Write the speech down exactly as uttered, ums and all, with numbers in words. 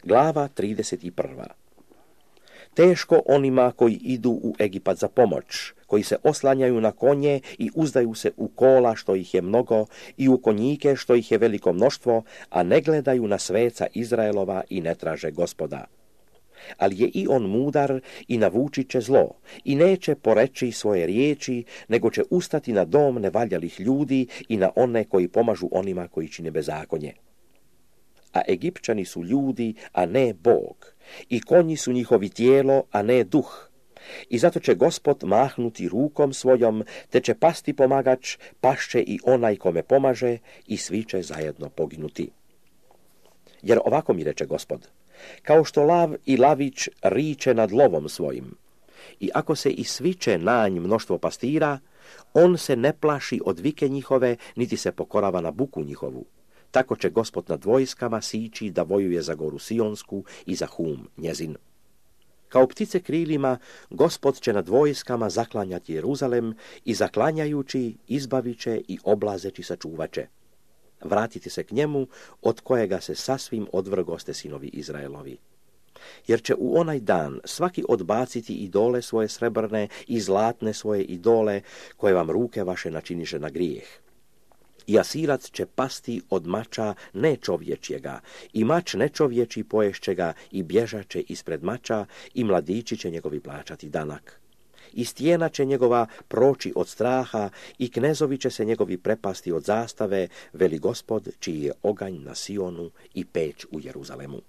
Glava trideset prva. Teško onima koji idu u Egipat za pomoć, koji se oslanjaju na konje i uzdaju se u kola što ih je mnogo i u konjike što ih je veliko mnoštvo, a ne gledaju na sveca Izraelova i ne traže Gospoda. Ali je i on mudar i navučit će zlo i neće poreći svoje riječi, nego će ustati na dom nevaljalih ljudi i na one koji pomažu onima koji čine bezakonje. A Egipćani su ljudi, a ne Bog, i konji su njihovi tijelo, a ne duh. I zato će Gospod mahnuti rukom svojom, te će pasti pomagač, pašće i onaj kome pomaže, i svi će zajedno poginuti. Jer ovako mi reče Gospod, kao što lav i lavić riče nad lovom svojim, i ako se i sviče nanj mnoštvo pastira, on se ne plaši od vike njihove, niti se pokorava na buku njihovu. Tako će Gospod nad vojskama sići da vojuje za goru Sionsku i za Hum njezin. Kao ptice krilima, Gospod će nad vojskama zaklanjati Jeruzalem i zaklanjajući izbavit će i oblazeći sačuvaće. Vratite se k njemu, od kojega se sasvim odvrgoste sinovi Izraelovi. Jer će u onaj dan svaki odbaciti idole svoje srebrne i zlatne svoje idole, koje vam ruke vaše načiniše na grijeh. I Asirac će pasti od mača nečovječjega, i mač nečovječi poješće ga, i bježat će ispred mača, i mladići će njegovi plaćati danak. I stijena će njegova proći od straha, i knezovi će se njegovi prepasti od zastave, veli Gospod, čiji je oganj na Sionu i peć u Jeruzalemu.